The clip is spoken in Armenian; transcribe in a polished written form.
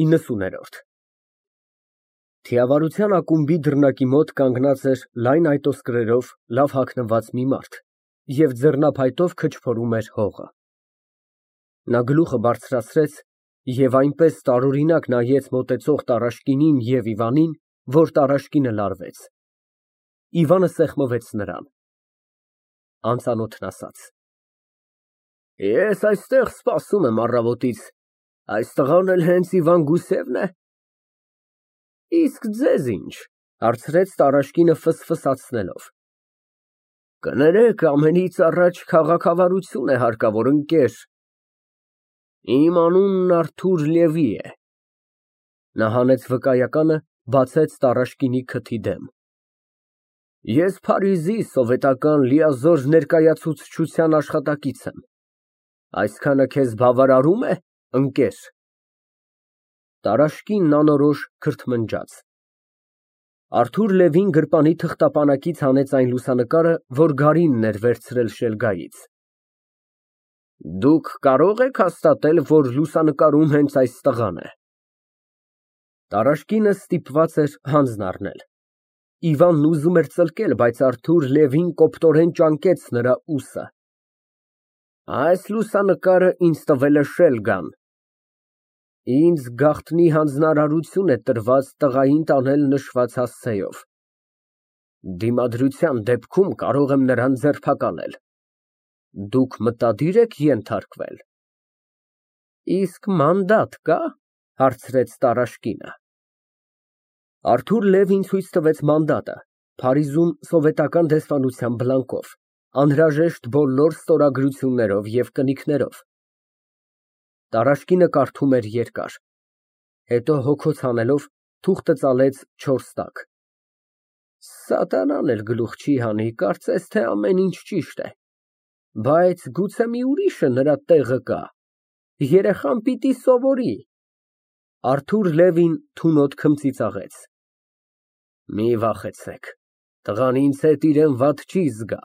90-րդ Թիավարության ակումբի դռնակի մոտ կանգնած էր լայն այտոսկրերով լավ հագնված մի մարդ և ձեռնափայտով քչփորում էր հողը։ Նա գլուխը բարձրացրեց և այնպես տարօրինակ նայեց մոտեցող Տարաշկինին և Իվանին, որ Տարաշկինը լարվեց։ Իվանը սեղմվեց նրան։ Անծանոթն ասաց. Ես այստեղ սպասում եմ առավոտից, այս տղան էլ հենց Իվան Գուսևն է։ Իսկ ձեզ ինչ, հարցրեց Տարաշկինը ֆսֆսացնելով։ Կներեք, ամենից առաջ քաղաքավարություն է հարկավոր, ընկեր։ Իմ անունն Արթուր Լևի է։ Նա հանեց վկայականը, բացեց Տարաշկինի քթի դեմ։ Ես Փարիզի սովետական լիազոր ներկայացուցչության աշխատակից եմ։ Այսքանը քեզ բավարարո՞ւմ է, ընկեր։ Տարաշկինն անորոշ քրթմնջաց։ Արթուր Լևին գրպանի թղթապանակից հանեց այն լուսանկարը, որ Գարինն էր վերցրել շելգայից։ Դուք կարո՞ղ եք հաստատել, որ լուսանկարում հենց այս տղան է։ Տարաշկինը ստիպված էր հանձն առնել։ Իվանն ուզում էր ծլկել, բայց Արթուր Լևին կոպտորեն ճանկեց նրա ուսը։ Այս լուսանկարը ինձ տվել է շելգան։ Ինձ գաղտնի հանձնարարություն է տրված տղային տանել նշված հասցեով։ Դիմադրության դեպքում կարող եմ նրան ձերբակալել։ Դուք մտադիր եք ենթարկվել։ Իսկ մանդատ կա, հարցրեց Տարաշկինը։ Արթուր Լևին ցույց տվեց մանդատը, Փարիզում սովետական դեսպանության բլանկով, անհրաժեշտ բոլոր ստորագրություններով և կնիքներով։ Տարաշկինը կարդում էր երկար, հետո հոգոց հանելով թուղթը ծալեց 4 տակ։ Սատանան էլ գլուխ չի հանի, կարծես թե ամեն ինչ ճիշտ է, բայց գուցե մի ուրիշը նրա տեղը կա, երեխան պիտի սովորի։ Արթուր Լևին թունոտ քմծիծաղեց։ Մի վախեցեք, տղան ինձ հետ իրեն վատ չի զգա։